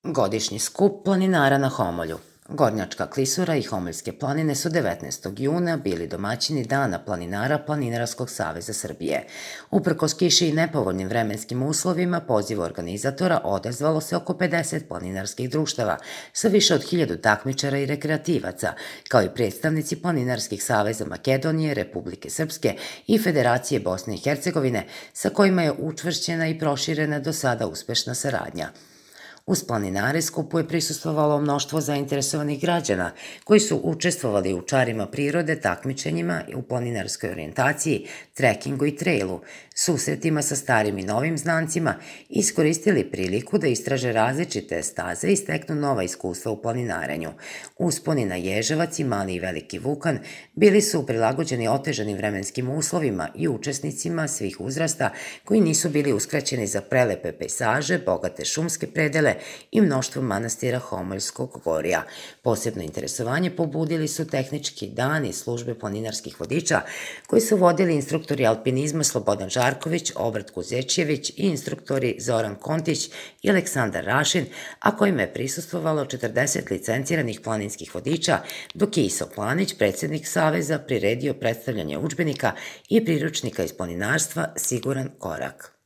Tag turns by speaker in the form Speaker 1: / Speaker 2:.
Speaker 1: Godišnji skup planinara na Homolju. Gornjačka klisura i Homoljske planine su 19. juna bili domaćini Dana planinara Planinarskog saveza Srbije. Uprkos kiši i nepovoljnim vremenskim uslovima, pozivu organizatora odazvalo se oko 50 planinarskih društava sa više od 1000 takmičara i rekreativaca, kao i predstavnici planinarskih saveza Makedonije, Republike Srpske i Federacije Bosne i Hercegovine, sa kojima je učvršćena i proširena do sada uspešna saradnja. Uz planinare skupu je prisustvovalo mnoštvo zainteresovanih građana koji su učestvovali u čarima prirode, takmičenjima u planinarskoj orijentaciji, trekingu i trailu, susretima sa starim i novim znancima i iskoristili priliku da istraže različite staze i steknu nova iskustva u planinarenju. Usponi na Ježevac i Mali i Veliki Vukan bili su prilagođeni otežanim vremenskim uslovima i učesnicima svih uzrasta koji nisu bili uskraćeni za prelepe pejsaže, bogate šumske predele i mnoštvo manastira Homoljskog gorja. Posebno interesovanje pobudili su tehnički dan i službe planinarskih vodiča koji su vodili instruktori alpinizma Slobodan Žarković, Obrat Kuzečjević i instruktori Zoran Kontić i Aleksandar Rašin, a kojima je prisustvovalo 40 licenciranih planinskih vodiča, dok je Iso Planić, predsednik Saveza, priredio predstavljanje udžbenika i priručnika iz planinarstva Siguran korak.